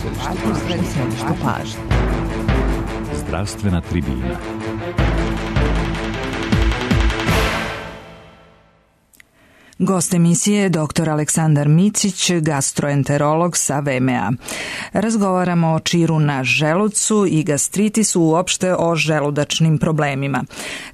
središtu pažnje. Zdravstvena tribina. Gost emisije je dr. Aleksandar Micić, gastroenterolog sa VMA. Razgovaramo o čiru na želucu i gastritisu, uopšte o želudačnim problemima.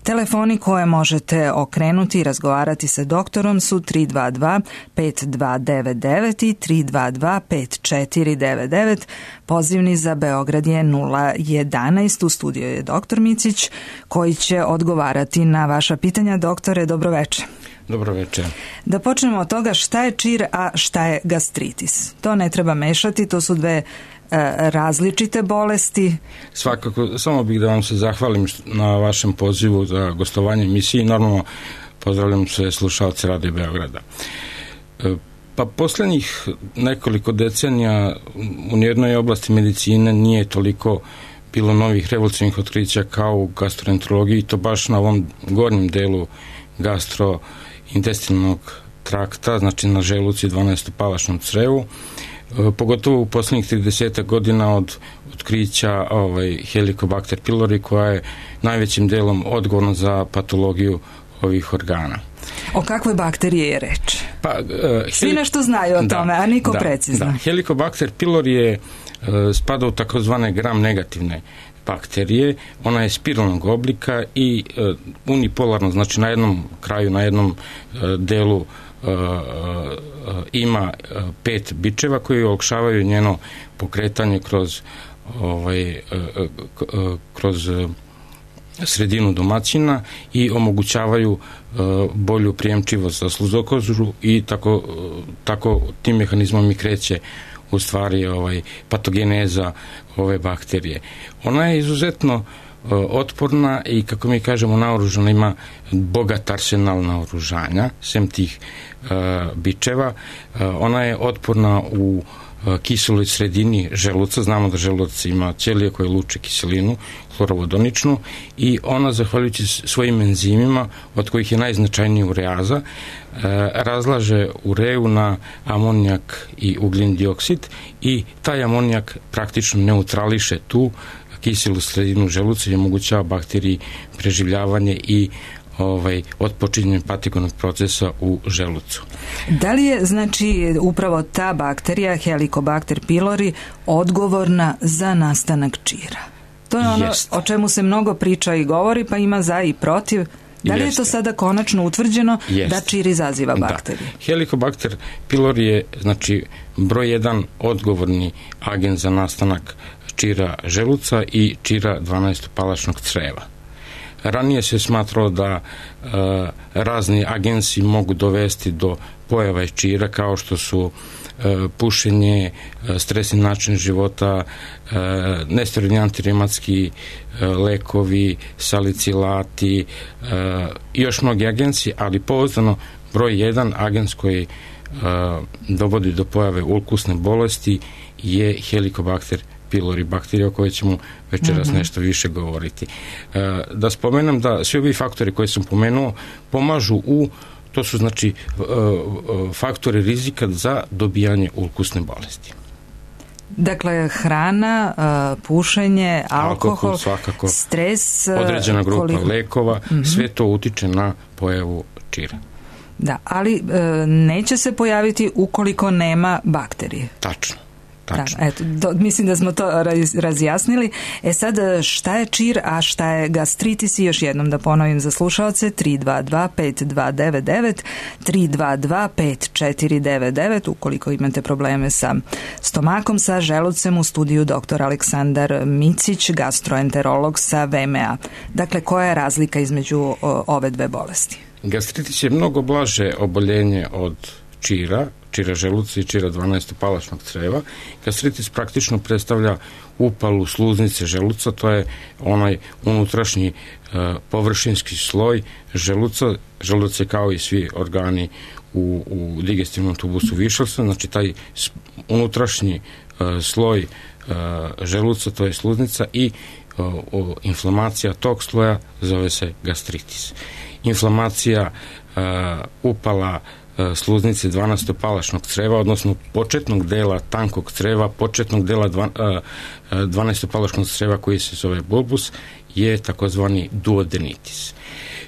Telefoni koje možete okrenuti i razgovarati sa doktorom su 322 5299 i 322 5499. Pozivni za Beograd je 011. U studiju je dr. Micić koji će odgovarati na vaša pitanja. Doktore, dobroveče. Dobro večer. Da počnemo od toga šta je čir, a šta je gastritis. To ne treba mešati, to su dve različite bolesti. Svakako, samo bih da vam se zahvalim na vašem pozivu za gostovanje emisiji. Normalno pozdravljam sve slušalce Radio Beograda. Pa poslednjih nekoliko decenija u nijednoj oblasti medicine nije toliko bilo novih revolucionarnih otkrića kao u gastroenterologiji, to baš na ovom gornjem delu gastrointestinalnog trakta, znači na želucu i 12-palačnom crevu, pogotovo u poslednjih 30 godina od otkrića Helicobacter pylori, koja je najvećim delom odgovorna za patologiju ovih organa. O kakvoj bakteriji je reč? Svi nešto znaju o tome, a niko precizno. Da. Helicobacter pylori spada u takozvane gram negativne bakterije. Ona je spiralnog oblika i unipolarno, znači na jednom kraju, na jednom delu ima 5 bičeva koji olakšavaju njeno pokretanje kroz sredinu domaćina i omogućavaju bolju prijemčivost za sluzokožu i tako tim mehanizmom i kreće u stvari patogeneza ove bakterije. Ona je izuzetno otporna i, kako mi kažemo, naoružana, ima bogat arsenal naoružanja, sem tih bičeva. Ona je otporna u kiseloj sredini želuca. Znamo da želuc ima ćelije koje luče kiselinu, hlorovodoničnu, i ona, zahvaljujući svojim enzimima, od kojih je najznačajniji ureaza, razlaže ureu na amonijak i ugljen dioksid i taj amonijak praktično neutrališe tu kiselu sredinu želuca i omogućava bakteriji preživljavanje i otpočinjenje patigonog procesa u želucu. Da li je, znači, upravo ta bakterija, Helicobacter pylori, odgovorna za nastanak čira? To je ono o čemu se mnogo priča i govori, pa ima za i protiv. Da li je to sada konačno utvrđeno da čir izaziva bakterije? Da. Helicobacter pylori je, znači, broj 1 odgovorni agent za nastanak čira želuca i čira 12-palačnog creva. Ranije se smatralo da razni agensi mogu dovesti do pojava čira, kao što su pušenje, stresni način života, nesteroidni antireumatski lekovi, salicilati i još mnogi agensi, ali pouzdano broj 1 agens koji dovodi do pojave ulkusne bolesti je Helicobacter pylori, bakterija o kojoj ćemo večeras nešto više govoriti. Da spomenem da svi ovi faktori koje sam pomenuo pomažu to su, znači, faktori rizika za dobijanje ulkusne bolesti. Dakle, hrana, pušenje, alkohol, svakako, stres, određena grupa lekova, sve to utiče na pojavu čira. Da, ali neće se pojaviti ukoliko nema bakterije. Tačno. Da, eto, mislim da smo to razjasnili. Sad, šta je čir, a šta je gastritis? I još jednom da ponovim za slušalce, 322 5299, 322 5499, ukoliko imate probleme sa stomakom, sa želucem. U studiju dr. Aleksandar Micić, gastroenterolog sa VMA. Dakle, koja je razlika između ove dve bolesti? Gastritis je mnogo blaže oboljenje od čira želuca i čira 12-palačnog creva. Gastritis praktično predstavlja upalu sluznice želuca, to je onaj unutrašnji površinski sloj želuca. Želuc je, kao i svi organi u digestivnom tubusu višalca, znači taj unutrašnji sloj želuca, to je sluznica, i inflamacija tog sloja zove se gastritis. Inflamacija, upala sluznice 12-palašnog creva, odnosno početnog dela tankog creva, početnog dela 12-palašnog creva koji se zove bulbus, je takozvani duodenitis.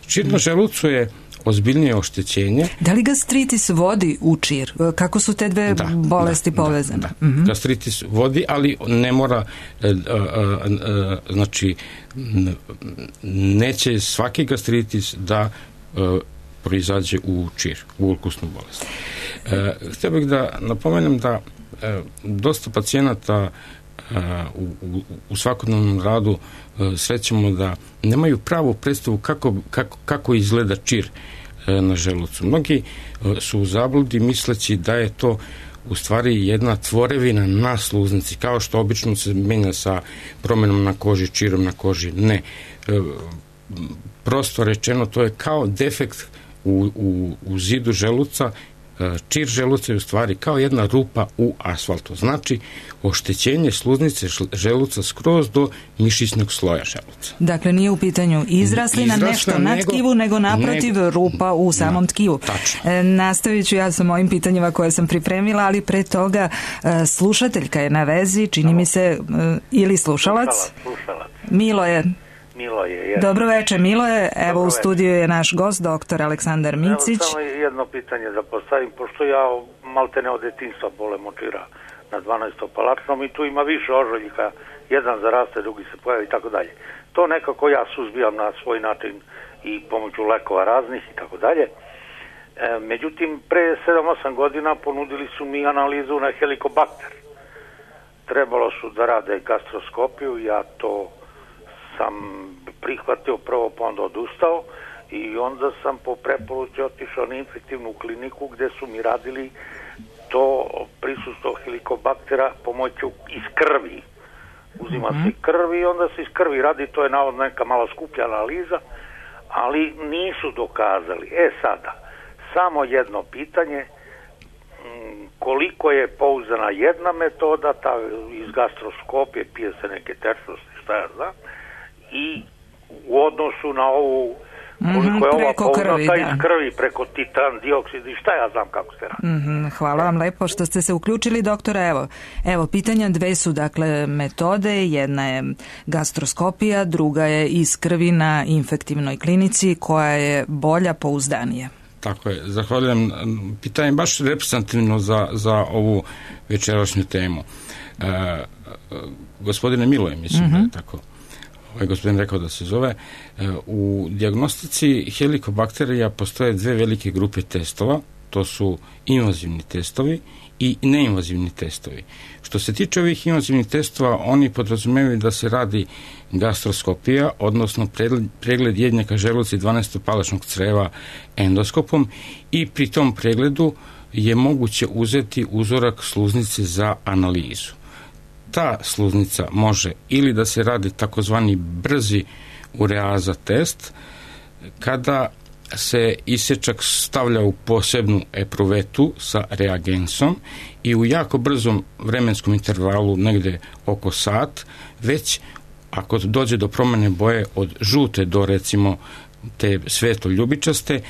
Čir na želucu je ozbiljnije oštećenje. Da li gastritis vodi u čir? Kako su te dve bolesti povezane? Gastritis vodi, ali ne mora, znači, neće svaki gastritis da proizađe u čir, u ulkusnu bolest. Htio bih da napomenem da dosta pacijenata u svakodnevnom radu srećemo da nemaju pravu predstavu kako izgleda čir na želucu. Mnogi su u zabludi misleći da je to u stvari jedna tvorevina na sluznici, kao što obično se menja sa promjenom na koži, čirom na koži. Ne. Prosto rečeno, to je kao defekt u zidu želuca. Čir želuca je u stvari kao jedna rupa u asfaltu. Znači, oštećenje sluznice želuca skroz do mišićnog sloja želuca. Dakle, nije u pitanju izraslina, nešto na tkivu, nego naprotiv rupa u samom tkivu. Nastavit ću ja sa mojim pitanjima koje sam pripremila, ali pre toga slušateljka je na vezi, čini mi se, ili slušalac. Miloje. Dobro večer, Miloje. Evo u studiju je naš gost, doktor Aleksandar Micić. Evo samo jedno pitanje da postavim, pošto ja maltene od detinjstva bolem od čira na 12-palačnom i tu ima više ožoljika, jedan zaraste, drugi se pojavi i tako dalje. To nekako ja suzbijam na svoj način i pomoću lekova raznih i tako dalje. Međutim, pre 7-8 godina ponudili su mi analizu na helikobakter. Trebalo su da rade gastroskopiju, ja to sam prihvatio prvo, pa onda odustao i onda sam po preporuci otišao na infektivnu kliniku gde su mi radili to prisustvo helikobaktera pomoću iz krvi. Uzima se krv i onda se iz krvi radi, to je navodno neka malo skuplja analiza, ali nisu dokazali. Sada, samo jedno pitanje, koliko je pouzdana jedna metoda, ta iz gastroskopije, pije se neke tečnosti, šta ja znam, i u odnosu na ovu koliko je ova pouzdana iz krvi preko titan, dioksid i šta ja znam kako se radi. Hvala vam lepo što ste se uključili, doktore. Evo, pitanja dve su dakle metode, jedna je gastroskopija, druga je iz krvi na infektivnoj klinici, koja je bolja, pouzdanija. Tako je, zahvaljujem. Pitanje baš reprezentativno za ovu večerašnju temu. Gospodine Miloje, mislim da je tako gospodin rekao da se zove, u dijagnostici helikobakterija postoje dve velike grupe testova, to su invazivni testovi i neinvazivni testovi. Što se tiče ovih invazivnih testova, oni podrazumevaju da se radi gastroskopija, odnosno pregled jednjaka želuca i 12-palačnog creva endoskopom i pri tom pregledu je moguće uzeti uzorak sluznice za analizu. Ta sluznica može ili da se radi takozvani brzi ureaza test, kada se isečak stavlja u posebnu epruvetu sa reagensom i u jako brzom vremenskom intervalu, negde oko sat, već ako dođe do promjene boje od žute do recimo te svetlo ljubičaste,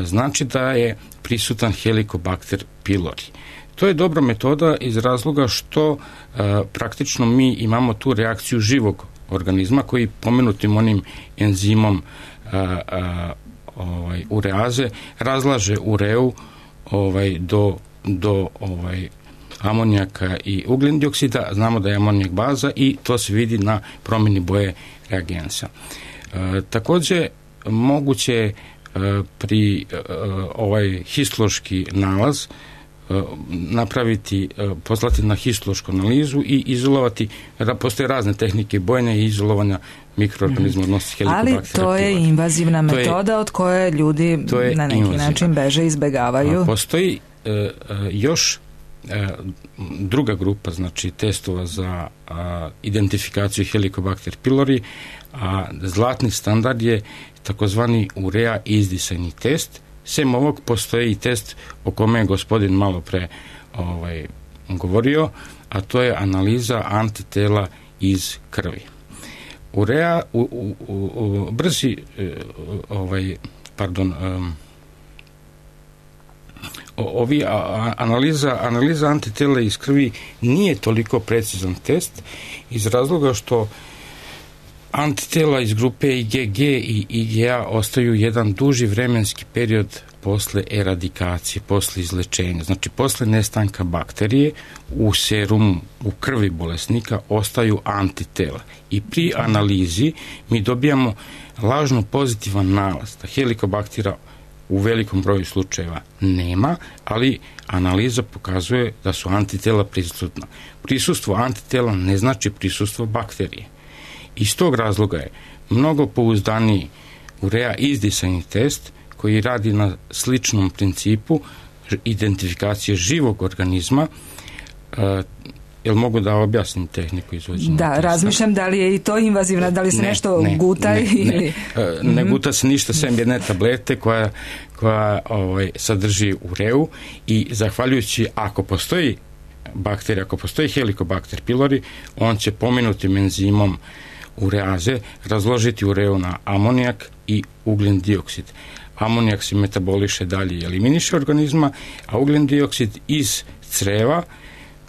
znači da je prisutan helikobakter pylori. To je dobra metoda iz razloga što praktično mi imamo tu reakciju živog organizma koji pomenutim onim enzimom ureaze razlaže ureu do amonijaka i ugljen dioksida. Znamo da je amonijak baza i to se vidi na promjeni boje reagensa. Također moguće pri histološki nalaz napraviti, poslati na histološku analizu i izolovati, da postoje razne tehnike bojenja i izolovanja mikroorganizma odnosno helikobakterija. Ali to je invazivna metoda od koje ljudi na neki način beže, izbegavaju. Postoji još druga grupa, znači testova za identifikaciju helikobakter pylori, a zlatni standard je takozvani urea izdisajni test. Sem ovog postoji i test o kome je gospodin malo pre govorio, a to je analiza antitela iz krvi. Urea, analiza antitela iz krvi nije toliko precizan test iz razloga što antitela iz grupe IgG i IgA ostaju jedan duži vremenski period posle eradikacije, posle izlečenja. Znači, posle nestanka bakterije u serumu, u krvi bolesnika ostaju antitela. I pri analizi mi dobijamo lažno pozitivan nalaz da helikobaktera u velikom broju slučajeva nema, ali analiza pokazuje da su antitela prisutna. Prisustvo antitela ne znači prisustvo bakterije. Iz tog razloga je mnogo pouzdaniji urea izdisajni test koji radi na sličnom principu identifikacije živog organizma. Jel mogu da objasnim tehniku izvođenja testa? Razmišljam da li je i to invazivna, da li se nešto guta ili... Ne guta se ništa, sem jedne tablete koja sadrži ureu i zahvaljujući, ako postoji bakterija, ako postoji helikobakter pylori, on će pomenutim enzimom ureaze razložiti ureu na amonijak i ugljen dioksid. Amonijak se metaboliše dalje i eliminiše organizma, a ugljen dioksid iz creva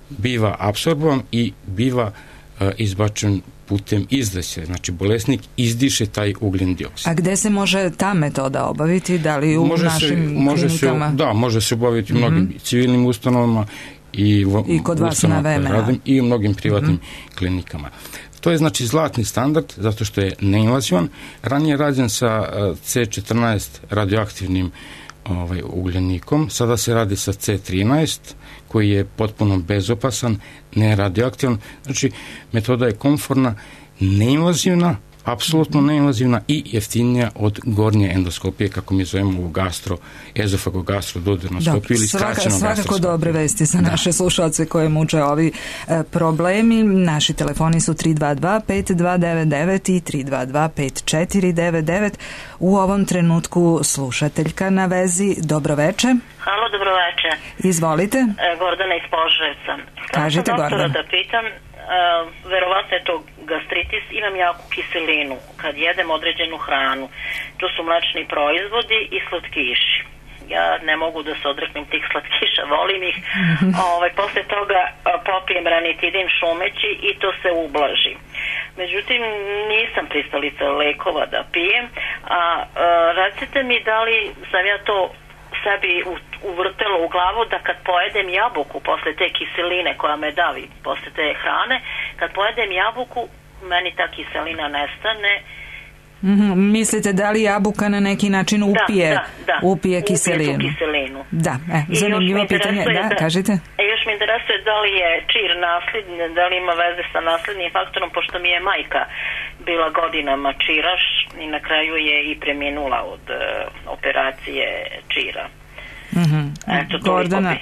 biva apsorbovan i biva izbačen putem izdaše. Znači, bolesnik izdiše taj ugljen dioksid. A gde se može ta metoda obaviti? Da li u našim klinikama? Može se obaviti u mnogim civilnim ustanovama i kod vas na VMA. I u mnogim privatnim klinikama. To je znači zlatni standard zato što je neinvazivan. Ranije je rađen sa C14 radioaktivnim ugljenikom, sada se radi sa C13 koji je potpuno bezopasan, neradioaktivan. Znači, metoda je komfortna, neinvazivna, apsolutno neinvazivna i jeftinija od gornje endoskopije, kako mi zovemo u ezofago-gastro-duodenoskopiju ili skraćeno gastroskopiju. Svakako dobre vesti za naše slušalce koje muče ovi problemi. Naši telefoni su 322-5299 i 322-5499. U ovom trenutku slušateljka na vezi. Dobroveče. Halo, dobroveče. Izvolite. Gordana iz Požarevca. Kažite, Gordana. Da pitam, verovatno je to gastritis, imam jaku kiselinu kad jedem određenu hranu. To su mlečni proizvodi i slatkiši. Ja ne mogu da se odreknem tih slatkiša, volim ih. Posle toga popijem ranitidin šumeći i to se ublaži. Međutim, nisam pristalica lekova da pijem, a recite mi da li sam ja to sebi uvrtelo u glavu da kad pojedem jabuku posle te kiseline koja me davi posle te hrane, kad pojedem jabuku meni ta kiselina nestane. Mislite da li jabuka na neki način upije kiselinu? Upije tu kiselinu. Da, zanimljivo pitanje. Kažite. Još mi interesuje da li je čir nasledni, da li ima veze sa naslednim faktorom, pošto mi je majka bila godinama čiraš i na kraju je i preminula od operacije čira. Gordana,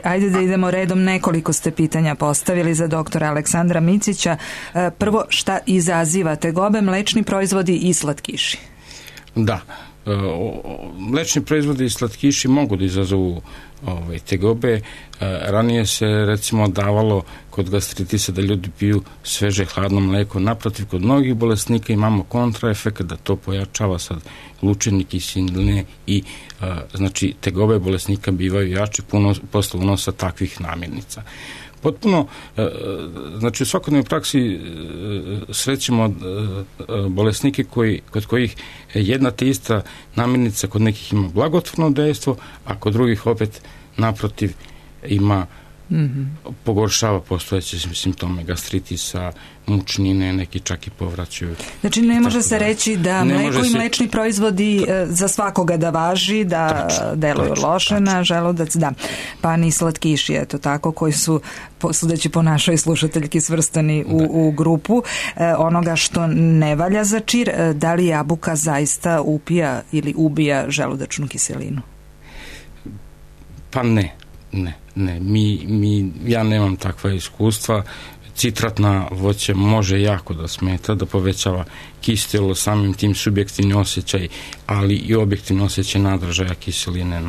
ajde da idemo redom, nekoliko ste pitanja postavili za doktora Aleksandra Micića. Prvo, šta izaziva tegobe, mlečni proizvodi i slatkiši? Da, mlečni proizvodi i slatkiši mogu da izazovu tegobe. Ranije se recimo davalo kod gastritisa da ljudi piju sveže hladno mleko. Naprotiv, kod mnogih bolesnika imamo kontraefekt da to pojačava sad lučenje kiseline i znači tegobe bolesnika bivaju jači posle unosa takvih namirnica. Potpuno, znači u svakodnevnoj praksi srećemo bolesnike kod kojih jedna te ista namirnica kod nekih ima blagotvorno dejstvo, a kod drugih opet naprotiv ima pogoršava postojeće simptome gastritisa, mučnine, neki čak i povraćaju. Znači ne može se reći da mleko i mlečni proizvodi za svakoga da važi, da deluju loše na želudac, da. Pa ni slatkiši, eto tako, koji su, sudeći po našoj slušateljki, svrstani u grupu onoga što ne valja za čir. Da li jabuka zaista upija ili ubija želudačnu kiselinu? Pa ne. Ja nemam takva iskustva. Citratna voće može jako da smeta, da povećava kiselo, samim tim subjektivni osjećaj, ali i objektivni osjećaj nadražaja kiseline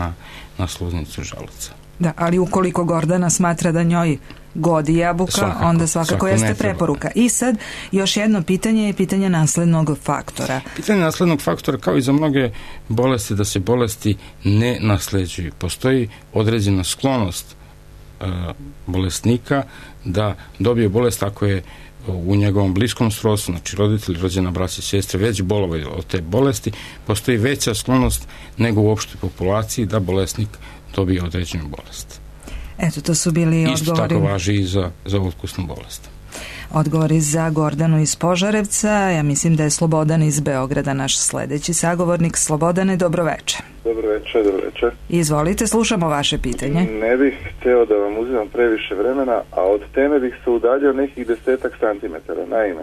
na sluznicu želuca. Da, ali ukoliko Gordana smatra da njoj godi jabuka, onda svakako jeste preporuka. I sad još jedno pitanje je pitanje naslednog faktora. Pitanje naslednog faktora, kao i za mnoge bolesti, da se bolesti ne nasleđuju. Postoji određena sklonost bolesnika da dobije bolest ako je u njegovom bliskom srodstvu, znači roditelji, rođena, braća, sestre, već bolovali od te bolesti, postoji veća sklonost nego u opštoj populaciji da bolesnik dobije određenu bolest. Eto, to su bili odgovori. Isto tako važi i za utkusnu bolest. Odgovori za Gordanu iz Požarevca. Ja mislim da je Slobodan iz Beograda naš sledeći sagovornik. Slobodane, dobroveče. Dobroveče. Izvolite, slušamo vaše pitanje. Ne bih hteo da vam uzimam previše vremena, a od teme bih se udaljio nekih 10 santimetara. Naime,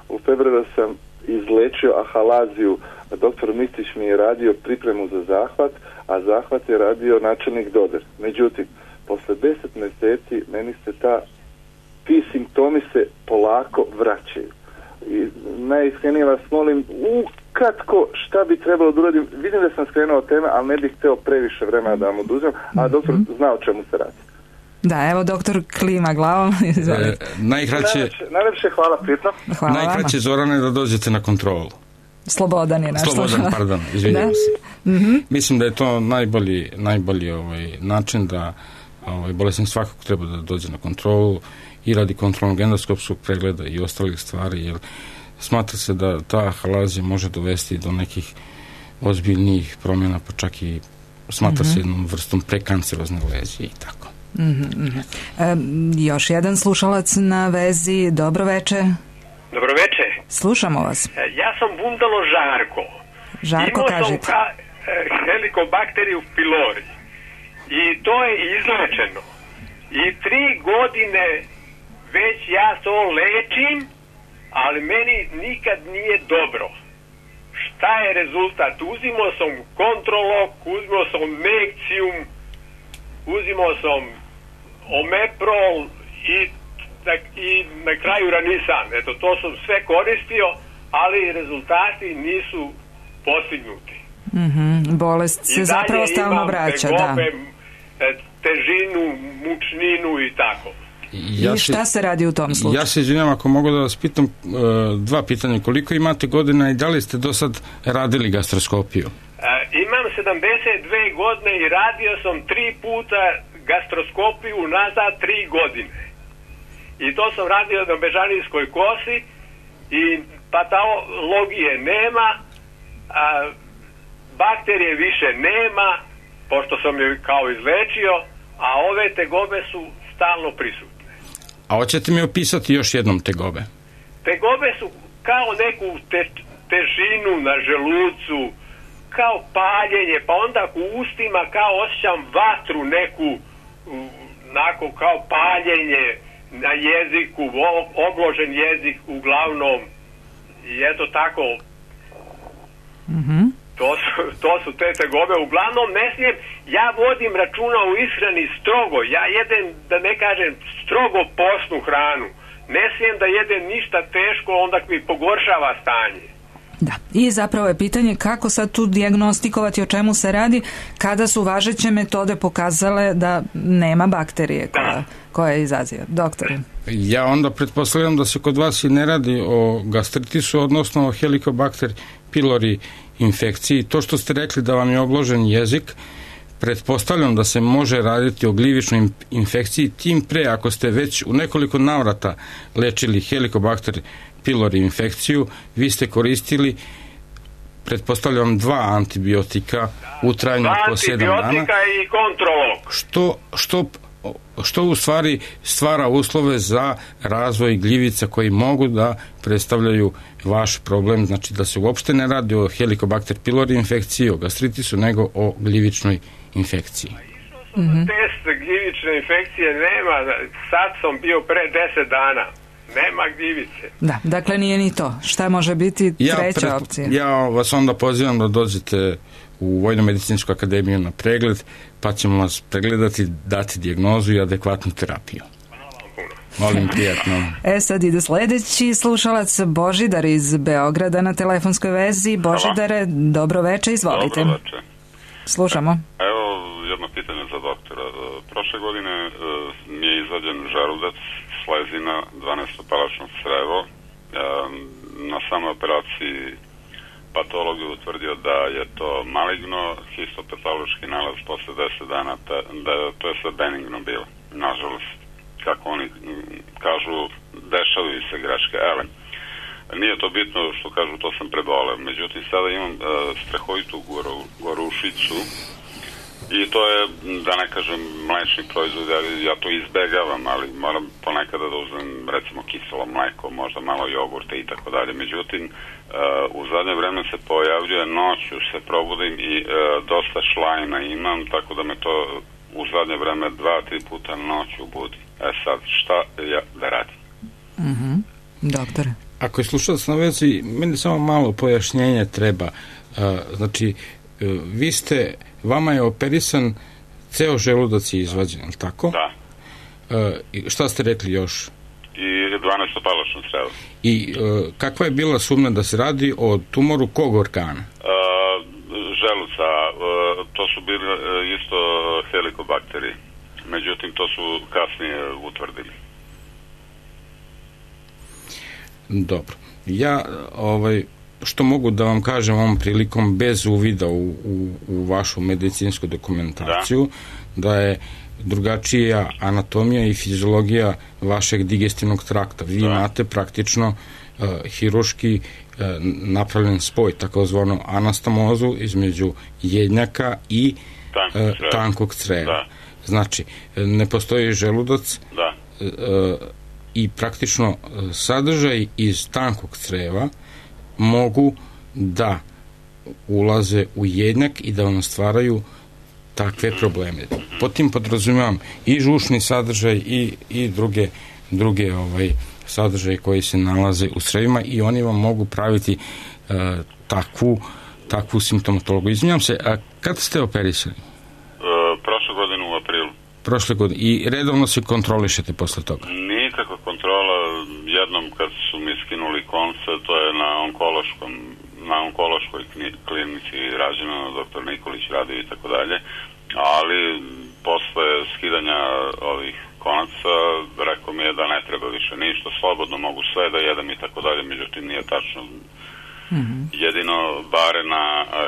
u februaru sam izlečio ahalaziju. Doktor Micić mi je radio pripremu za zahvat, a zahvat je radio načelnik Doder. Međutim, posle 10 meseci meni se ti simptomi se polako vraćaju. I najiskrenije vas molim, ukratko šta bi trebalo da uradim. Vidim da sam skrenuo od teme, ali ne bih hteo previše vremena da vam oduzem, a doktor zna o čemu se radi. Da, evo doktor klima glavom. Najlepše hvala, prijatno. Najkraće, Zorane, da dođete na kontrolu. Slobodan je naš slušalac. Pardon, izvinjavam se. Mislim da je to najbolji način da bolesnik svakako treba da dođe na kontrolu i radi kontrolnog endoskopskog pregleda i ostalih stvari, jer smatra se da ta ahalazija može dovesti do nekih ozbiljnijih promjena, pa čak i smatra se jednom vrstom prekancerozne lezije i tako. Još jedan slušalac na vezi. Dobroveče. Dobroveče. Slušamo vas. Ja sam Bundalo Žarko. Žarko, kažete. Imao sam helikobakteriju pylori i to je izlečeno. I 3 godine već ja to lečim, ali meni nikad nije dobro. Šta je rezultat? Uzimao sam kontrolok, uzimao sam Nexium, uzimao sam Omeprol i na kraju Ranisan. Eto, to sam sve koristio, ali rezultati nisu postignuti. Bolest se zapravo stalno vraća. I dalje imam tegobe, težinu, mučninu i tako. I šta se radi u tom slučaju? Ja se izvinjam ako mogu da vas pitam 2 pitanja. Koliko imate godina i da li ste do sad radili gastroskopiju? Imam 72 godine i radio sam 3 puta gastroskopiju nazad 3 godine. I to sam radio na Bežanijskoj kosi i patologije nema, bakterije više nema, pošto sam je kao izlečio, a ove tegobe su stalno prisutne. A hoćete mi opisati još jednom tegobe? Tegobe su kao neku težinu na želucu, kao paljenje, pa onda u ustima kao osjećam vatru neku, onako kao paljenje na jeziku, obložen jezik uglavnom i eto tako. To su te tegobe. Uglavnom ne smijem, ja vodim računa u ishrani strogo, ja jedem, da ne kažem, strogo postnu hranu, ne smijem da jedem ništa teško, onda mi pogoršava stanje. Da, i zapravo je pitanje kako sad tu dijagnostikovati o čemu se radi kada su važeće metode pokazale da nema bakterije koja izaziva. Doktore. Ja onda pretpostavljam da se kod vas i ne radi o gastritisu, odnosno o Helicobacter pylori infekciji. To što ste rekli da vam je obložen jezik, pretpostavljam da se može raditi o gljivičnoj infekciji, tim pre ako ste već u nekoliko navrata lečili Helicobacter pylori infekciju, vi ste koristili, pretpostavljam, 2 antibiotika u trajanju po 7 dana. 2 antibiotika i kontrolog. Što u stvari stvara uslove za razvoj gljivica koji mogu da predstavljaju vaš problem, znači da se uopšte ne radi o Helicobacter pylori infekciji, o gastritisu, nego o gljivičnoj infekciji. Test gljivične infekcije nema, sad sam bio pre 10 dana. Nema gljivice. Da, dakle nije ni to. Šta može biti treća opcija? Ja vas onda pozivam da dođete u Vojno-medicinsku akademiju na pregled, pa ćemo vas pregledati, dati dijagnozu i adekvatnu terapiju. Molim, prijatno. Sad ide sledeći slušalac, Božidar iz Beograda na telefonskoj vezi. Božidare, dobroveče, izvolite. Dobroveče. Slušamo. Evo jedno pitanje za doktora. Prošle godine mi je izvađen želudac, slezina, 12-palačno crevo. Na samoj operaciji patolog je utvrdio da je to maligno, histopatološki nalaz posle 10 dana, to je sve benigno bilo, nažalost. Kako oni kažu, dešavaju se greške, ale nije to bitno što kažu, to sam preboleo. Međutim, sada imam strahovitu gorušicu i to je, da ne kažem, mlečni proizvod, ja to izbegavam, ali moram ponekada da uzmem, recimo, kiselo mleko, možda malo jogurte i tako dalje. Međutim, u zadnje vreme se pojavljuje, noću se probudim i dosta šlajna imam, tako da me to u zadnje vreme 2-3 puta noću budi. Sad, šta ja da radim? Doktore. Ako je slušalac na vezi, meni samo malo pojašnjenje treba. Znači, vama je operisan ceo želudac je izvađen, ali tako? Da. Šta ste rekli još? I 12-palačno crevo. I kakva je bila sumnja da se radi o tumoru kog organa? Želuca, to su bili isto helikobakterije. Međutim, to su kasnije utvrdili. Dobro. Ja, što mogu da vam kažem ovom prilikom bez uvida u vašu medicinsku dokumentaciju, da je drugačija anatomija i fiziologija vašeg digestivnog trakta. Vi imate praktično hiruški napravljen spoj, takozvanu anastomozu između jednjaka i tankog creva. Znači, ne postoji želudac i praktično sadržaj iz tankog creva mogu da ulaze u jednjak i da vam stvaraju takve probleme. Pod tim podrazumijem i žučni sadržaj i druge sadržaje koji se nalaze u crevima i oni vam mogu praviti takvu simptomatologiju. Izvinjam se, a kad ste operisali? Prošle godine u aprilu. Prošle godine. I redovno se kontrolišete posle toga? Nikakva kontrola. Jednom kad su mi skinuli konce, to je na onkološkoj klinici rađeno, doktor Nikolić radio i tako dalje, ali posle skidanja ovih konaca rekao mi je da ne treba više ništa, slobodno mogu sve da jedem i tako dalje, međutim nije tačno. Jedino barena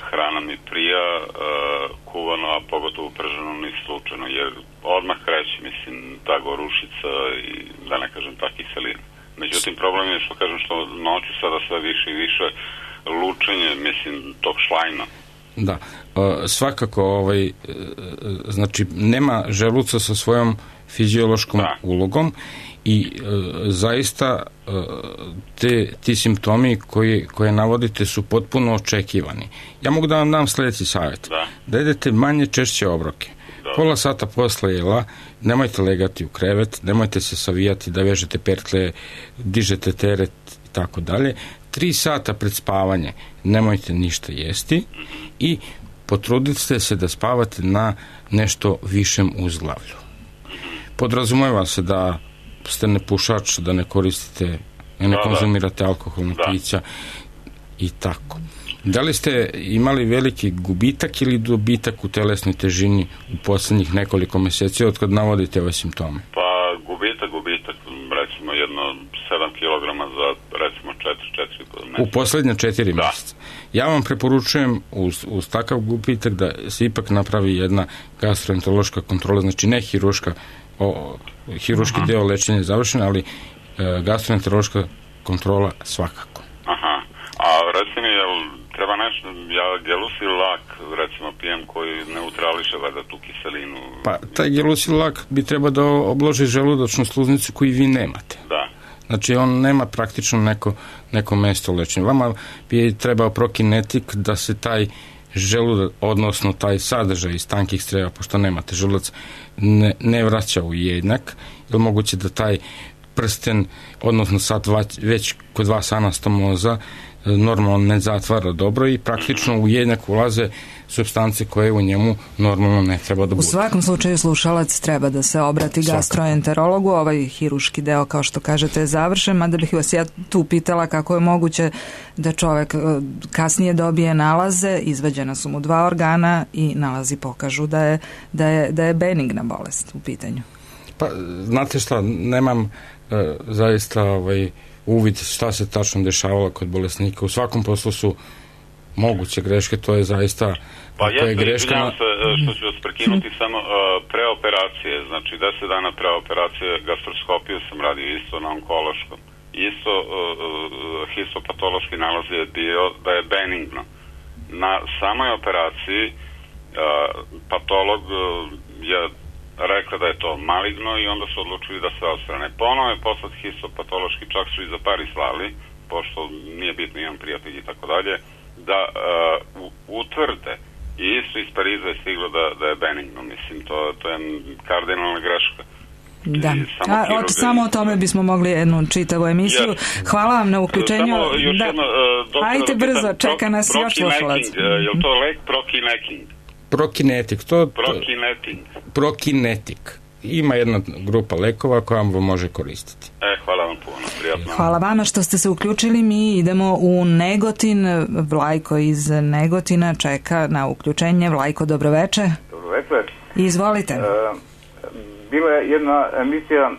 hrana mi prija, kuvano, a pogotovo prženo ni slučajno, jer odmah kreće, mislim, ta gorušica i da ne kažem ta kiselina. Međutim, problem je što kažem što noću sada sve više i više lučenje, mislim, tog šlajna. Da, svakako znači nema želuca sa svojom fiziološkom ulogom i zaista ti simptomi koje navodite su potpuno očekivani. Ja mogu da vam dam sledeći savjet. Da jedete manje češće obroke. Pola sata posle jela nemojte legati u krevet, nemojte se savijati da vežete pertle, dižete teret i tako dalje. 3 sata pred spavanje nemojte ništa jesti i potrudite se da spavate na nešto višem uzglavlju. Podrazumeva se da ste nepušač, da ne koristite, ne konzumirate alkoholna pića i tako. Da li ste imali veliki gubitak ili dobitak u telesnoj težini u poslednjih nekoliko meseci od kad navodite ove simptome? Pa gubitak, recimo jedno 7 kg za recimo 4 meseca. U poslednje 4 meseca. Ja vam preporučujem uz takav gubitak da se ipak napravi jedna gastroenterološka kontrola, znači ne hiruški deo lečenja je završen, ali gastroenterološka kontrola svakako. Aha, a recimo treba nešto, ja gelusil lak recimo pijem koji neutrališe valjda tu kiselinu. Pa taj gelusil lak bi treba da obloži želudačnu sluznicu koju vi nemate. Da. Znači on nema praktično neko mesto lečenja. Vama bi trebao prokinetik da se taj želudac, odnosno taj sadržaj iz tankih creva, pošto nemate želudac, ne vraća u jednjak, jer moguće da taj prsten, odnosno sad već kod vas anastomoza, normalno ne zatvara dobro i praktično u jednako ulaze supstance koje u njemu normalno ne treba da bude. U svakom slučaju slušalac treba da se obrati gastroenterologu, ovaj hiruški deo kao što kažete je završen, mada bih vas ja tu pitala kako je moguće da čovek kasnije dobije nalaze, izvađena su mu 2 organa i nalazi pokažu da je benigna bolest u pitanju. Pa, znate šta, nemam zaista uvid šta se tačno dešavalo kod bolesnika. U svakom poslu su moguće greške, to je zaista pa izvinjam se što ću vas prekinuti samo pre operacije, znači 10 dana pre operacije gastroskopiju sam radio isto na onkološkom, isto histopatološki nalaz je bio da je benigno. Na samoj operaciji patolog je rekla da je to maligno i onda su odlučili da se odstrane. Ponovo je poslat histopatološki, čak su i za Paris slali, pošto nije bitno, imam prijatelji i tako dalje, da utvrde i isto iz Pariza je stiglo da je benigno. Mislim, to je kardinalna greška. Da, samo o tome bismo mogli jednu čitavu emisiju. Hvala vam na uključenju. Ajte brzo, čeka nas još slušalac. Je li to lek Prokineting? Prokinetik. Ima jedna grupa lekova koja vam može koristiti. Hvala vam puno, prijatno. Hvala vama što ste se uključili. Mi idemo u Negotin. Vlajko iz Negotina čeka na uključenje. Vlajko, dobroveče. Dobroveče. Izvolite. Bila je jedna emisija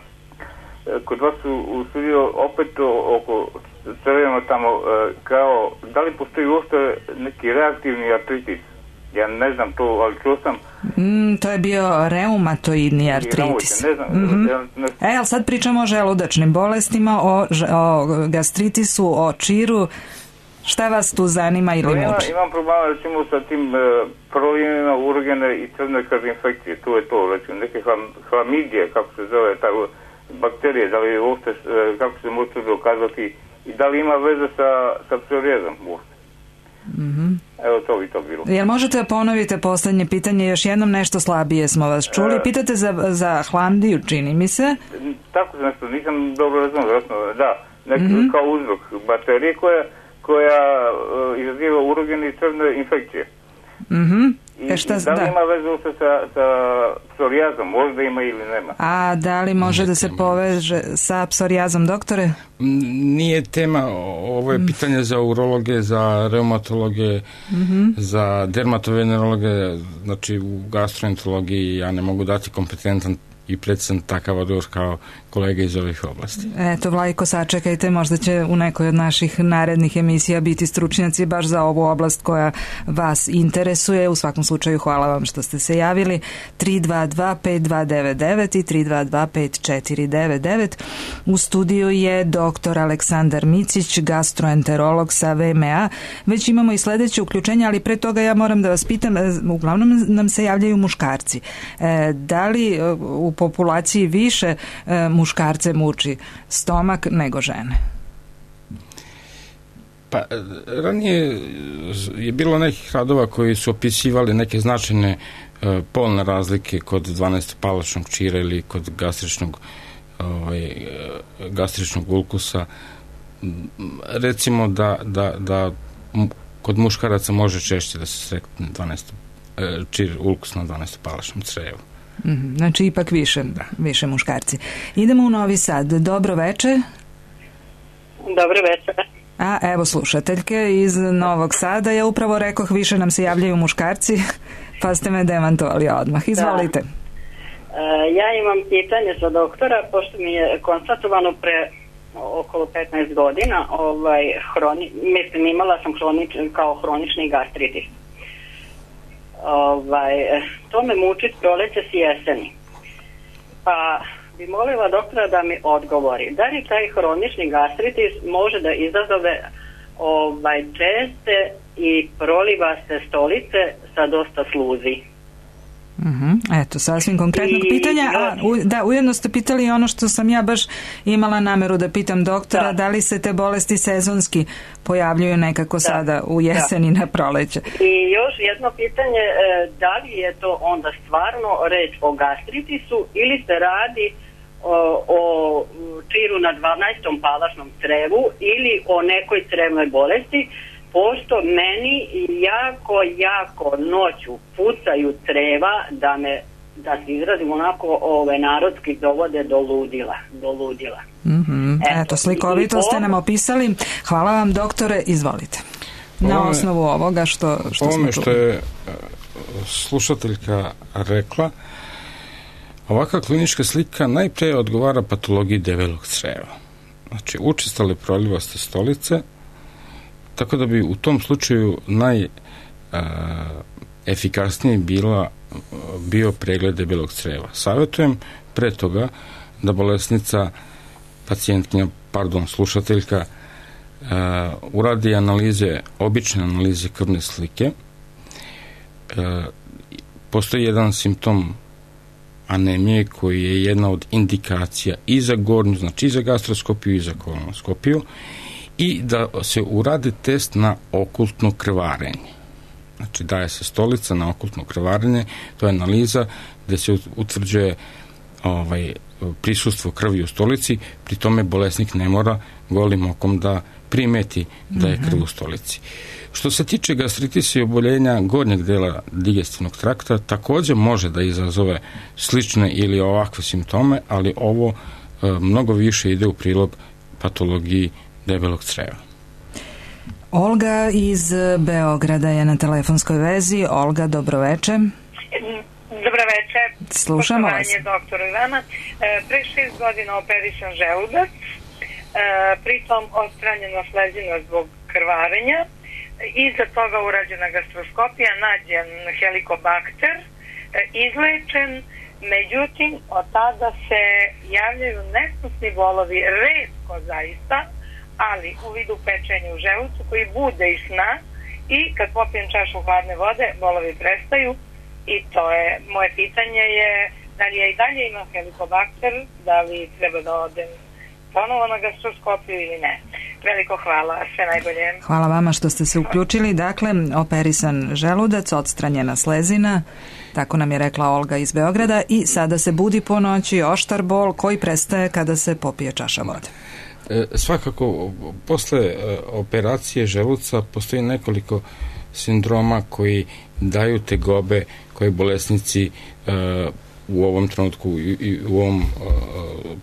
kod vas u studiju opet oko crveno tamo kao da li postoji uopšte neki reaktivni artritis. Ja ne znam to, ali čuo sam. To je bio reumatoidni artritis. Ne znam. Ali sad pričamo o želudačnim bolestima, o gastritisu, o čiru. Šta vas tu zanima ili muči? Imam problema recimo sa tim prolijevima, urogene i crne krvne infekcije. Tu je to, recimo, neke hlamidije, kako se zove, ta bakterije, da li uopšte, kako se može dokazati i da li ima veze sa psoriazom uopšte. Evo to bi to bilo. Jel možete ponoviti poslednje pitanje još jednom, nešto slabije smo vas čuli. Pitate za hlamdiju, čini mi se. Tako nešto, nisam dobro razumio. Da, kao uzrok bakterije koja izaziva urogene i crne infekcije. I da li ima veze sa psorijazom? Možda ima ili nema. A da li može da se poveže sa psorijazom, doktore? Nije tema, ovo je pitanje za urologe, za reumatologe, za dermatovenerologe, znači u gastroenterologiji ja ne mogu dati kompetentan i precizan takav odgovor kao kolega iz ovih oblasti. Eto, Vlajko, sačekajte, možda će u nekoj od naših narednih emisija biti stručnjaci baš za ovu oblast koja vas interesuje. U svakom slučaju, hvala vam što ste se javili. 322-5299 i 322-5499. U studiju je dr. Aleksandar Micić, gastroenterolog sa VMA. Već imamo i sledeće uključenje, ali pre toga ja moram da vas pitam, uglavnom nam se javljaju muškarci. Da li u populaciji više muškarce muči stomak nego žene? Pa, ranije je bilo nekih radova koji su opisivali neke značajne polne razlike kod 12-palačnog čira ili kod gastričnog ulkusa. Recimo da kod muškaraca može češće da se sretne ulkus na 12-palačnom crevu. Znači ipak više muškarci. Idemo u Novi Sad. Dobro veče. Dobro veče. Evo slušateljke iz Novog Sada. Ja upravo rekoh više nam se javljaju muškarci, pa ste me demantovali odmah. Izvolite. Ja imam pitanje za doktora, pošto mi je konstatovano pre okolo 15 godina, imala sam hronični gastritis. To me muči proleće s jeseni. Pa bi molila doktora da mi odgovori, da li taj hronični gastritis može da izazove česte i prolivaste stolice sa dosta sluzi? Eto, sasvim konkretnog pitanja. Ujedno ste pitali ono što sam ja baš imala nameru da pitam doktora, da li se te bolesti sezonski pojavljuju nekako sada u jeseni na proleće. I još jedno pitanje, da li je to onda stvarno reč o gastritisu ili se radi o čiru na 12. palačnom crevu ili o nekoj crevnoj bolesti, pošto meni jako noću pucaju creva da se izrazim onako narodski dovode do ludila. Eto, slikovito ste nam opisali. Hvala vam, doktore, izvolite. Na osnovu ovoga što smo čuli. Što je slušateljka rekla, ovakva klinička slika najpre odgovara patologiji debelog creva. Znači, učestale prolivaste stolice, tako da bi u tom slučaju najefikasnije bio pregled debelog creva. Savjetujem pre toga da bolesnica, slušateljka, uradi obične analize krvne slike. Postoji jedan simptom anemije koji je jedna od indikacija i za gornju, znači i za gastroskopiju i za kolonoskopiju, i da se uradi test na okultno krvarenje. Znači, daje se stolica na okultno krvarenje, to je analiza gde se utvrđuje prisustvo krvi u stolici, pri tome bolesnik ne mora golim okom da primeti da je krv u stolici. Što se tiče gastritisa i oboljenja gornjeg dela digestivnog trakta, također može da izazove slične ili ovakve simptome, ali ovo mnogo više ide u prilog patologiji debelog creva. Olga iz Beograda je na telefonskoj vezi. Olga, dobroveče. Dobroveče. Slušamo vas. Poštovanje doktoru i vama. Pre 6 godina operisan želudac, pritom odstranjena slezina zbog krvarenja, iza toga urađena gastroskopija, nađen helikobakter, izlečen, međutim od tada se javljaju nesnosni bolovi, retko zaista, ali u vidu pečenja u želucu koji bude iz sna, i kad popijem čašu hladne vode bolovi prestaju. I to je, moje pitanje je da li ja i dalje imam helikobakter, da li treba da odem ponovo na gastroskopiju ili ne. Veliko hvala, sve najbolje. Hvala vama što ste se uključili. Dakle, operisan želudac, odstranjena slezina, tako nam je rekla Olga iz Beograda, i sada se budi po noći oštar bol koji prestaje kada se popije čaša vode. Svakako, posle operacije želuca postoji nekoliko sindroma koji daju tegobe koje bolesnici u ovom trenutku i u ovom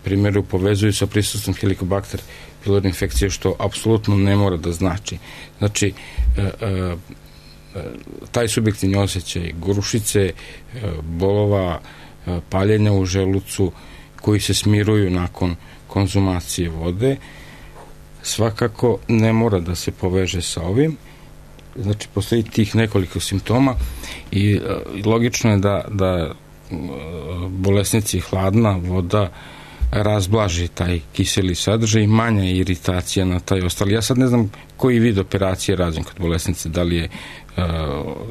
primjeru povezuju sa prisustvom helikobakter pylori infekcije, što apsolutno ne mora da znači. Znači, taj subjektivni osjećaj gorušice, bolova, paljenja u želucu koji se smiruju nakon konzumacije vode, svakako ne mora da se poveže sa ovim. Znači, postoji tih nekoliko simptoma i logično je da bolesnici hladna voda razblaži taj kiseli sadržaj i manja iritacija na taj ostali. Ja sad ne znam koji vid operacije rađen kod bolesnice, da li je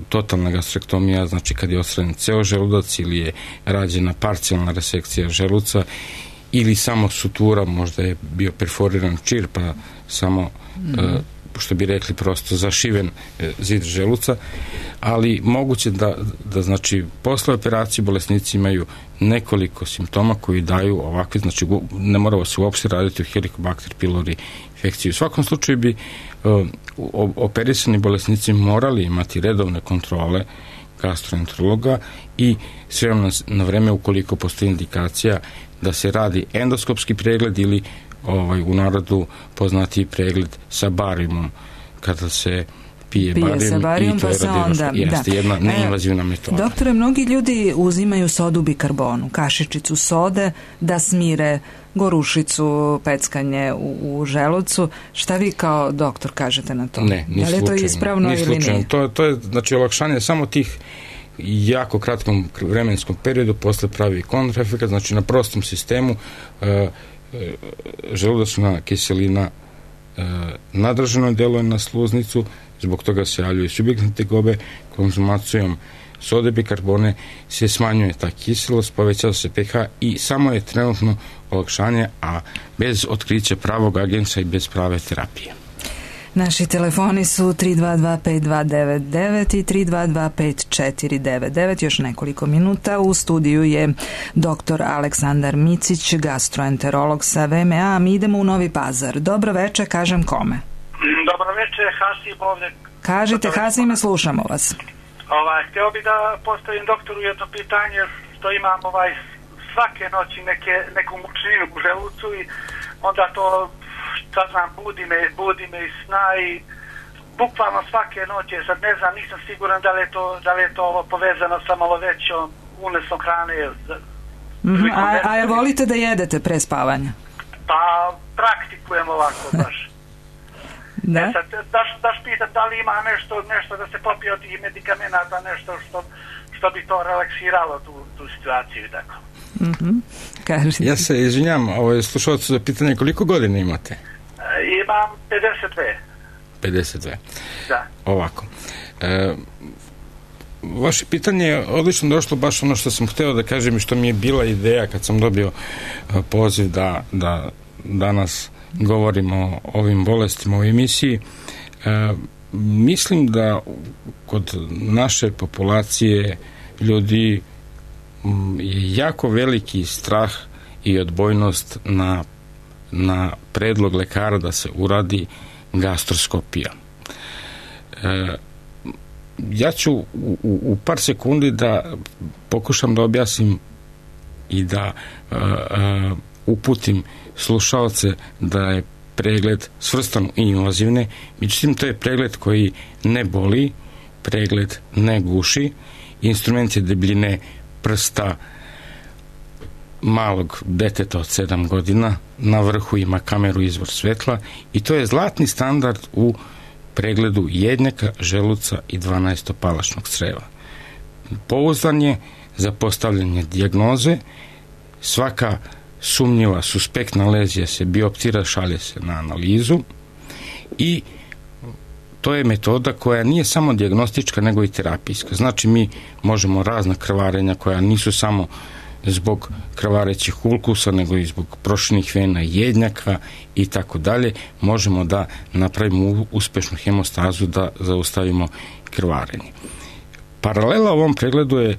totalna gastrektomija, znači kad je odstranjen ceo želudac, ili je rađena parcijalna resekcija želuca, ili samo sutura, možda je bio perforiran čir, pa samo što bi rekli prosto zašiven zid želuca, ali moguće da znači posle operacije bolesnici imaju nekoliko simptoma koji daju ovakve, znači ne moramo se uopšte raditi o helikobakter pylori infekciji. U svakom slučaju bi operisani bolesnici morali imati redovne kontrole gastroenterologa i sve na vreme, ukoliko postoji indikacija da se radi endoskopski pregled ili u narodu poznati pregled sa barijumom, kada se pije barijum, i to je jedna neinvazivna metoda. Doktore, mnogi ljudi uzimaju sodu bikarbonu, kašičicu sode, da smire gorušicu, peckanje u želucu. Šta vi kao doktor kažete na to? Ne, ni slučajno. Da li je to ispravno ili nije? To je znači olakšanje samo tih jako kratkom vremenskom periodu posle pravi kontraefekat, znači na prostom sistemu želudačna kiselina nadržano deluje na sluznicu, zbog toga se javljaju subjektne tegobe. Konzumacijom sode bikarbone se smanjuje ta kiselost, povećava se pH i samo je trenutno olakšanje, a bez otkrića pravog agensa i bez prave terapije. Naši telefoni su 322-5299 i 322-5499. Još nekoliko minuta. U studiju je dr. Aleksandar Micić, gastroenterolog sa VMA. Mi idemo u Novi Pazar. Dobro večer, kažem kome? Dobro večer, Hasim ovdje. Kažite, Hasime, slušamo vas. Htio bi da postavim doktoru jedno pitanje, što imam svake noći neku mučninu u želucu i onda to, šta znam, budi me iz sna i bukvalno svake noći, sad ne znam, nisam siguran da li je to ovo povezano sa malo većom unosom hrane. A jel volite da jedete pre spavanja? Pa praktikujem ovako baš. Da? Sad, daš pitat da li ima nešto da se popije od tih medikamenata, nešto što bi to relaksiralo tu situaciju i tako. Ja se izvinjam, slušalcu za pitanje, koliko godina imate? Imam 52. Da. Ovako. Vaše pitanje je odlično došlo, baš ono što sam hteo da kažem i što mi je bila ideja kad sam dobio poziv da danas govorimo o ovim bolestima u emisiji. Mislim da kod naše populacije ljudi je jako veliki strah i odbojnost na predlog lekara da se uradi gastroskopija. Ja ću u par sekundi da pokušam da objasnim i da uputim slušaoce da je pregled svrstan i invazivne, međutim to je pregled koji ne boli, pregled ne guši, instrument je debljine prsta malog deteta od 7 godina, na vrhu ima kameru izvor svetla i to je zlatni standard u pregledu jednjaka, želuca i 12-palačnog creva. Pouzdan je za postavljanje dijagnoze, svaka sumnjiva, suspektna lezija se bioptira, šalje se na analizu i to je metoda koja nije samo dijagnostička nego i terapijska. Znači mi možemo razna krvarenja koja nisu samo zbog krvarećih ulkusa nego i zbog proširenih vena, jednjaka i tako dalje, možemo da napravimo uspešnu hemostazu, da zaustavimo krvarenje. Paralela ovom pregledu je,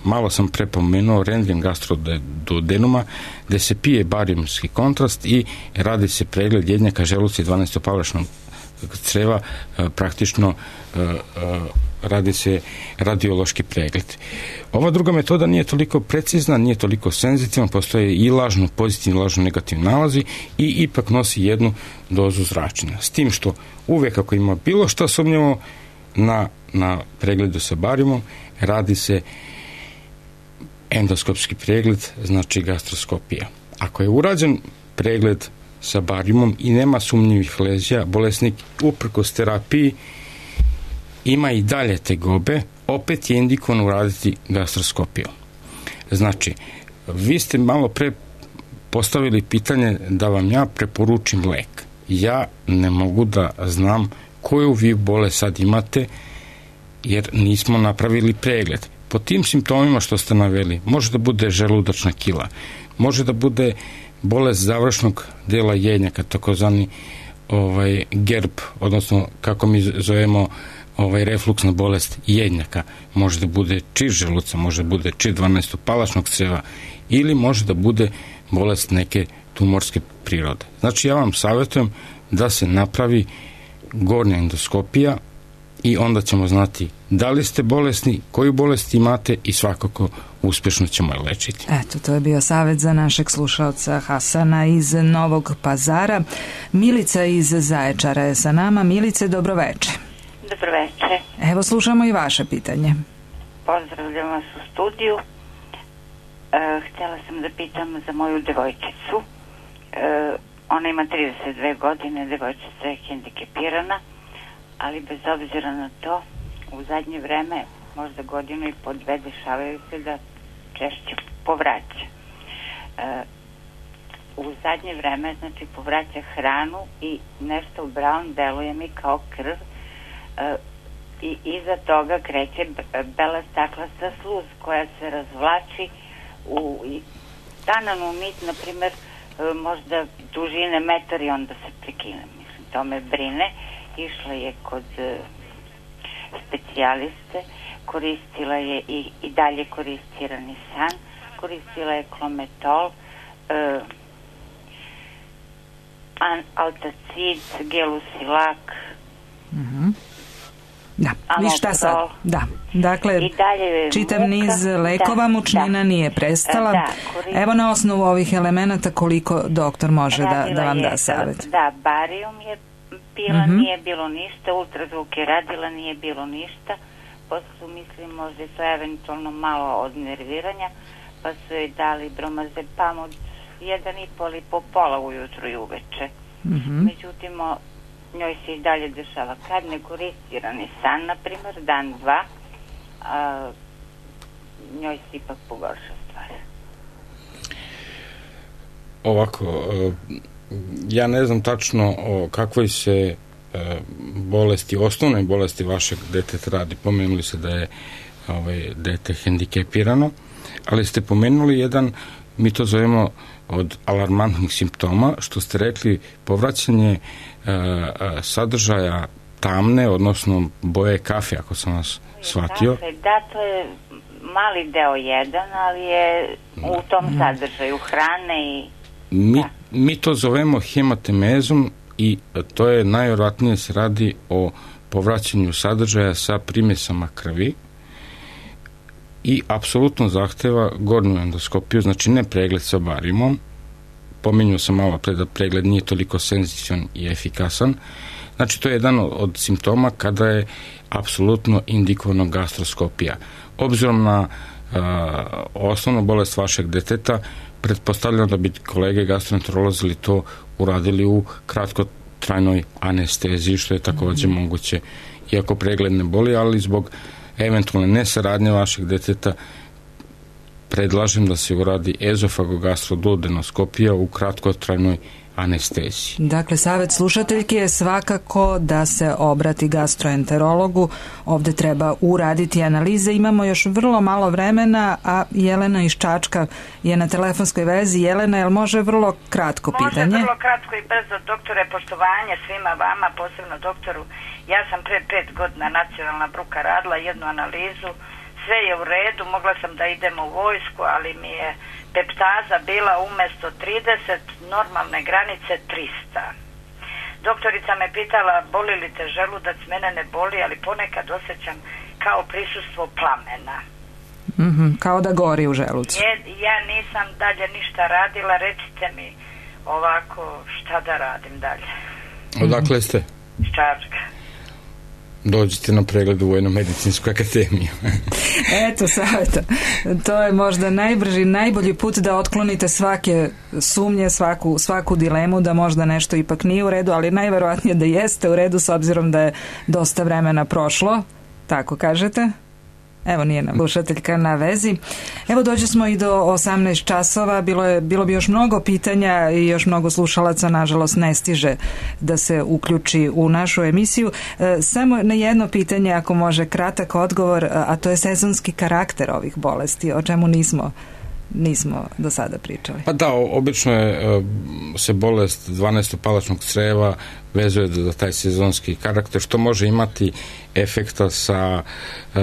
malo sam prepomenuo, rentgen gastroduodenuma, gde se pije barijumski kontrast i radi se pregled jednjaka, želuca i 12-palačnog creva, praktično radi se radiološki pregled. Ova druga metoda nije toliko precizna, nije toliko senzitivna, postoje i lažno pozitivni, lažno negativni nalazi i ipak nosi jednu dozu zračenja. S tim što uvek ako ima bilo šta sumnjivo na pregledu sa barijumom, radi se endoskopski pregled, znači gastroskopija. Ako je urađen pregled sa barijumom i nema sumnjivih lezija, bolesnik uprkos terapiji ima i dalje tegobe, opet je indikovano uraditi gastroskopiju. Znači, vi ste malo pre postavili pitanje da vam ja preporučim lek. Ja ne mogu da znam koju vi bolest sad imate, jer nismo napravili pregled. Po tim simptomima što ste naveli, može da bude želudačna kila, može da bude bolest završnog dela jednjaka, takozvani GERB, odnosno kako mi zovemo refluksna bolest jednjaka, može da bude čir želuca, može da bude čir 12-palačnog creva ili može da bude bolest neke tumorske prirode. Znači ja vam savjetujem da se napravi gornja endoskopija i onda ćemo znati da li ste bolesni, koju bolest imate i svakako uspješno ćemo je lečiti. Eto, to je bio savjet za našeg slušalca Hasana iz Novog Pazara. Milica iz Zaječara je sa nama. Milice, dobroveče. Dobroveče. Evo, slušamo i vaše pitanje. Pozdravljam vas u studiju. Htjela sam da pitam za moju devojčicu. Ona ima 32 godine, devojčica je hendikepirana, ali bez obzira na to, u zadnje vreme, možda godinu i po dve, dešavaju se da češće povraća. U zadnje vreme, znači, povraća hranu i nešto u brown deluje mi kao krv i iza toga kreće bela staklasta sluz koja se razvlači u tananu nit, na primjer, možda dužine metar i onda se prekine. Mislim, to me brine išla je kod specijaliste, koristila je i dalje koristi Ranisan, koristila je Klometol, Altacid, Gelusilak, da, vi šta sad? Da, dakle, čitav niz lekova, mučnina nije prestala. Evo na osnovu ovih elemenata koliko doktor može da vam da savjet. Da, barijum je pila, nije bilo ništa, ultrazvuk je radila, nije bilo ništa. Posle su mislili možda je to eventualno malo od nerviranja, pa su joj dali bromazepam od 1,5 ali po pola ujutru i uveče. Međutim, njoj se i dalje dešava. Kad ne koristi Ranisan, na primjer, dan, dva, njoj se ipak pogorša stvar. Ovako, ja ne znam tačno o kakvoj se bolesti, osnovnoj bolesti vašeg deteta radi. Pomenuli se da je dete hendikepirano, ali ste pomenuli jedan, mi to zovemo od alarmantnih simptoma, što ste rekli, povraćanje sadržaja tamne, odnosno boje kafe, ako sam vas shvatio. Da, to je mali deo jedan, ali je u tom sadržaju hrane i... Mi to zovemo hematemezom i to je najvjerojatnije se radi o povraćanju sadržaja sa primjesama krvi i apsolutno zahteva gornju endoskopiju, znači ne pregled sa barijumom. Pominjao sam malo pre da pregled nije toliko senzitivan i efikasan. Znači to je jedan od simptoma kada je apsolutno indikovano gastroskopija. Obzirom na osnovnu bolest vašeg deteta, pretpostavljam da bi kolege gastroenterolozi to uradili u kratkotrajnoj anesteziji, što je također moguće, iako pregled ne boli, ali zbog eventualne nesaradnje vašeg deteta predlažem da se uradi ezofagogastrodudenoskopija u kratkotrajnoj anesteziji. Dakle, savjet slušateljke je svakako da se obrati gastroenterologu. Ovdje treba uraditi analize. Imamo još vrlo malo vremena, a Jelena iz Čačka je na telefonskoj vezi. Jelena, jel može vrlo kratko pitanje? Može vrlo kratko i brzo, doktore, poštovanje svima vama, posebno doktoru. Ja sam pre 5 godina nacionalna bruka radila jednu analizu, sve je u redu, mogla sam da idem u vojsku, ali mi je peptaza bila umjesto 30, normalne granice 300. Doktorica me pitala, boli li te želudac, mene ne boli, ali ponekad osjećam kao prisustvo plamena. Kao da gori u želucu. Ja nisam dalje ništa radila, recite mi ovako šta da radim dalje. Odakle ste? Iz Čačka. Dođite na pregled u Vojno-medicinsku akademiju. Eto, savjeta. To je možda najbrži, najbolji put da otklonite svake sumnje, svaku dilemu da možda nešto ipak nije u redu, ali najverovatnije da jeste u redu s obzirom da je dosta vremena prošlo. Tako kažete? Evo, nije nam slušateljka na vezi. Evo, dođe smo i do 18 časova. Bilo bi još mnogo pitanja i još mnogo slušalaca, nažalost, ne stiže da se uključi u našu emisiju. Samo na jedno pitanje, ako može kratak odgovor, a to je sezonski karakter ovih bolesti, o čemu nismo do sada pričali. Pa da, obično se bolest 12-palačnog creva vezuje za taj sezonski karakter, što može imati efekta sa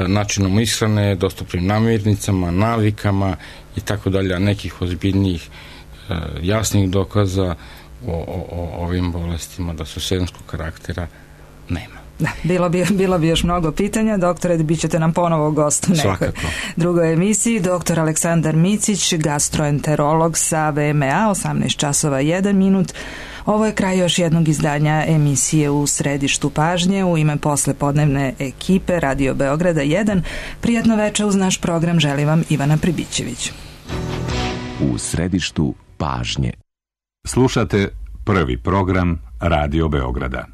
načinom ishrane, dostupnim namirnicama, navikama i tako dalje, a nekih ozbiljnijih jasnih dokaza o ovim bolestima da su sezonskog karaktera nema. Da, bilo bi još mnogo pitanja. Doktore, bit ćete nam ponovo gost u nekoj drugoj emisiji. Doktor Aleksandar Micić, gastroenterolog sa VMA, 18 časova 1 minut. Ovo je kraj još jednog izdanja emisije U središtu pažnje. U ime poslepodnevne ekipe Radio Beograda 1. Prijatno večer uz naš program želi vam Ivana Pribićević. U središtu pažnje. Slušate prvi program Radio Beograda.